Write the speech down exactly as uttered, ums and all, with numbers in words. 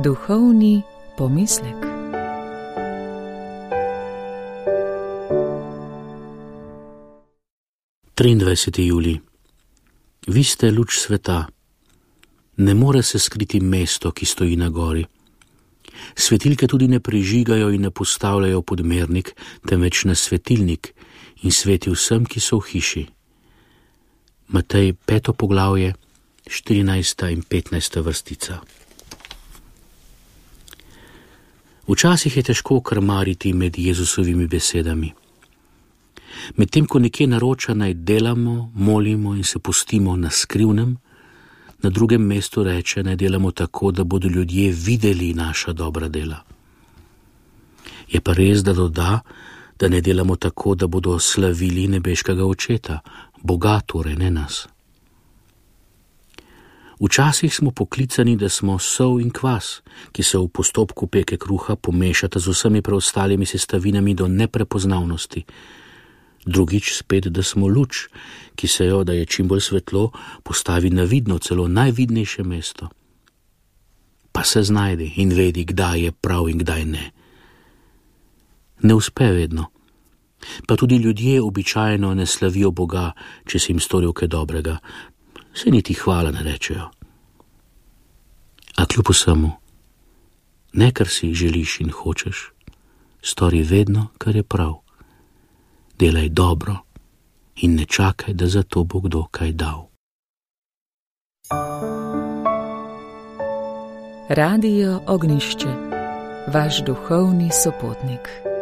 Duhovni pomislek. triindvajseti julij. Vi ste luč sveta. Ne more se skriti mesto, ki stoji na gori. Svetilke tudi ne prižigajo in ne postavljajo podmernik, temveč na svetilnik in sveti vsem, ki so v hiši. Matej peto poglavje, štirinajsta in petnajsta vrstica. Včasih je težko krmariti med Jezusovimi besedami. Medtem ko nekje naroča, naj delamo, molimo in se pustimo na skrivnem, na drugem mestu reče, naj delamo tako, da bodo ljudje videli naša dobra dela. Je pa res, da doda, da ne delamo tako, da bodo slavili nebeškega očeta, Boga torej, ne nas. Včasih smo poklicani, da smo sol in kvas, ki se v postopku peke kruha pomešata z vsemi preostalimi sestavinami do neprepoznavnosti. Drugič spet, da smo luč, ki se jo, da je čim bolj svetlo, postavi na vidno, celo najvidnejše mesto. Pa se znajdi in vedi, kdaj je prav in kdaj ne. Ne uspe vedno. Pa tudi ljudje običajno ne slavijo Boga, če si jim storil kaj dobrega. Se niti hvala ne rečejo. A kljub vsemu, ne kar si želiš in hočeš, stori vedno, kar je prav. Delaj dobro in ne čakaj, da za to bo kdo kaj dal. Radio Ognjišče, vaš duhovni sopotnik.